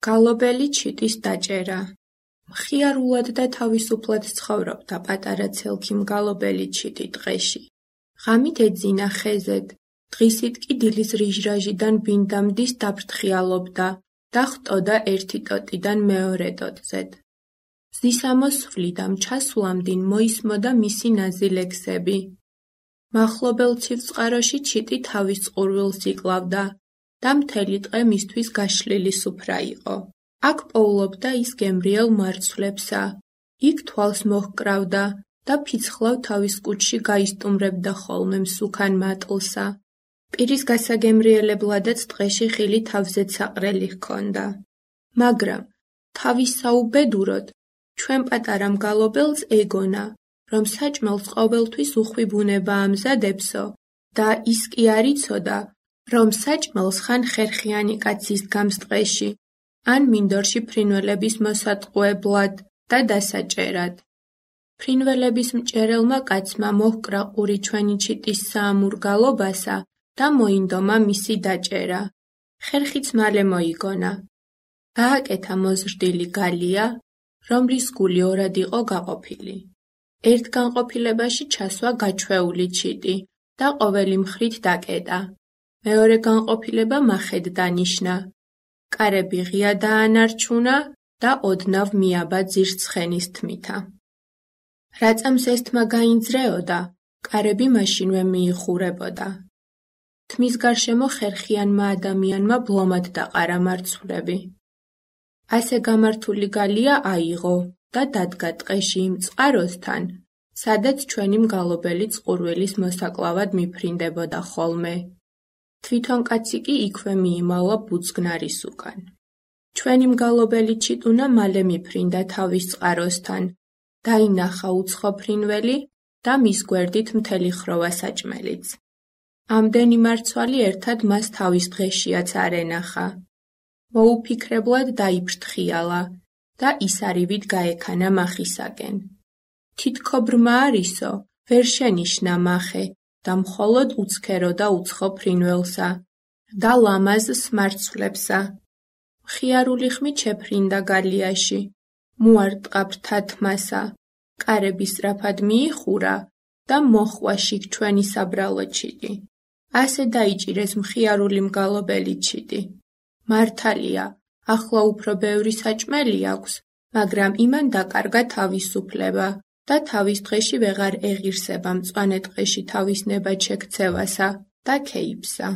გალობელი ჩიტის დაჭერა. მხიარულად და თავისუფლად ცხოვრობდა პატარა ცელქი მგალობელი ჩიტი ტყეში. ღამით ეძინა ხეზედ, დღისით კი დილის რიჟრაჟიდან ბინდამდის დაფრთხიალობდა და ხტოდა ერთი ტოტიდან მეორე ტოტზედ. მზისამოსვლიდან ჩასვლამდინ მოისმოდა მისი ნაზი-ლექსები. მახლობელ ცივწყაროში ჩიტი თავის წყურვილს იკლავდა და მთელი ტყე მისთვის გაშლილი სუფრა იყო. აქ პოულობდა ის გემრიელ მარცვლებსა, იქ თვალს მოჰკრავდა და ფიცხლავ თავის კუჭში გაისტუმრებდა ხოლმე მსუქან მატლსა. პირის გასაგემრიელებლადაც ტყეში ხილი თავზეც საყრელი ჰქონდა. მაგრამ თავის საუბედუროდ ჩვენ პატარა მგალობელს ეგონა, რომ საჭმელს ყოველთვის უხვი ბუნება ამზადებსო და ის კი არ იცოდა, რომ საჭმელს ხან ხერხიანი კაცი სდგამს ტყეში, ან მინდორში ფრინველების მოსატყუებლად და დასაჭერად. ფრინველების მჭერელმა კაცმა მოჰკრა ყური ჩვენი ჩიტის საამურ გალობასა და მოინდომა მისი დაჭერა. ხერხიც მალე მოიგონა. გააკეთა მოზრდილი გალია, რომლის გული ორად იყო გაყოფილი. ერთ განყოფილებაში ჩასვა გაჩვეული ჩიტი და ყოველი მხრით დაკეტა. მეორე განყოფილება მახედ დანიშნა. კარები ღია დაანარჩუნა და ოდნავ მიაბა ძირს ცხენის თმითა. რაწამს ესთმა გაინძრეოდა, კარები მაშინვე მიიხურებოდა. თმის გარშემო ხერხიანმა ადამიანმა ბლომად დაყარა მარცვლები. ასე გამართული გალია აიღო და დადგა ტყეში იმ წყაროსთან, სადაც ჩვენი მგალობელი წყურვილის მოსაკლავად მიფრინდებოდა ხოლმე. თვითონ კაცი კი იქვე მიიმალა ბუძგნარის უკან. ჩვენი მგალობელი ჩიტუნა მალე მიფრინდა თავის წყაროსთან, დაინახა უცხო ფრინველი და მის გვერდით მთელი ხროვა საჭმელიც. ამდენი მარცვალი ერთად მას თავის დღეშიაც არ ენახა. მოუფიქრებლად დაიფრთხიალა და ისარივით გაექანა მახისაკენ. თითქო ბრმა არისო, ვერ შენიშნა მახე და მხოლოდ უცქეროდა უცხო ფრინველსა და ლამაზ მარცვლებსა. მხიარული ხმით შეფრინდა გალიაში, მოარტყა ფრთა თმასა, კარები სწრაფად მიიხურა და მოჰყვა შიგ ჩვენი საბრალო ჩიტი. ასე დაიჭირეს მხიარული მგალობელი ჩიტი. მართალია, ახლა უფრო ბევრი საჭმელი აქვს, მაგრამ იმან დაკარგა თავისუფლება და თავის დღეში ვეღარ ეღირსება მწვანე ტყეში თავის ნება შექცევასა და ქეიფსა.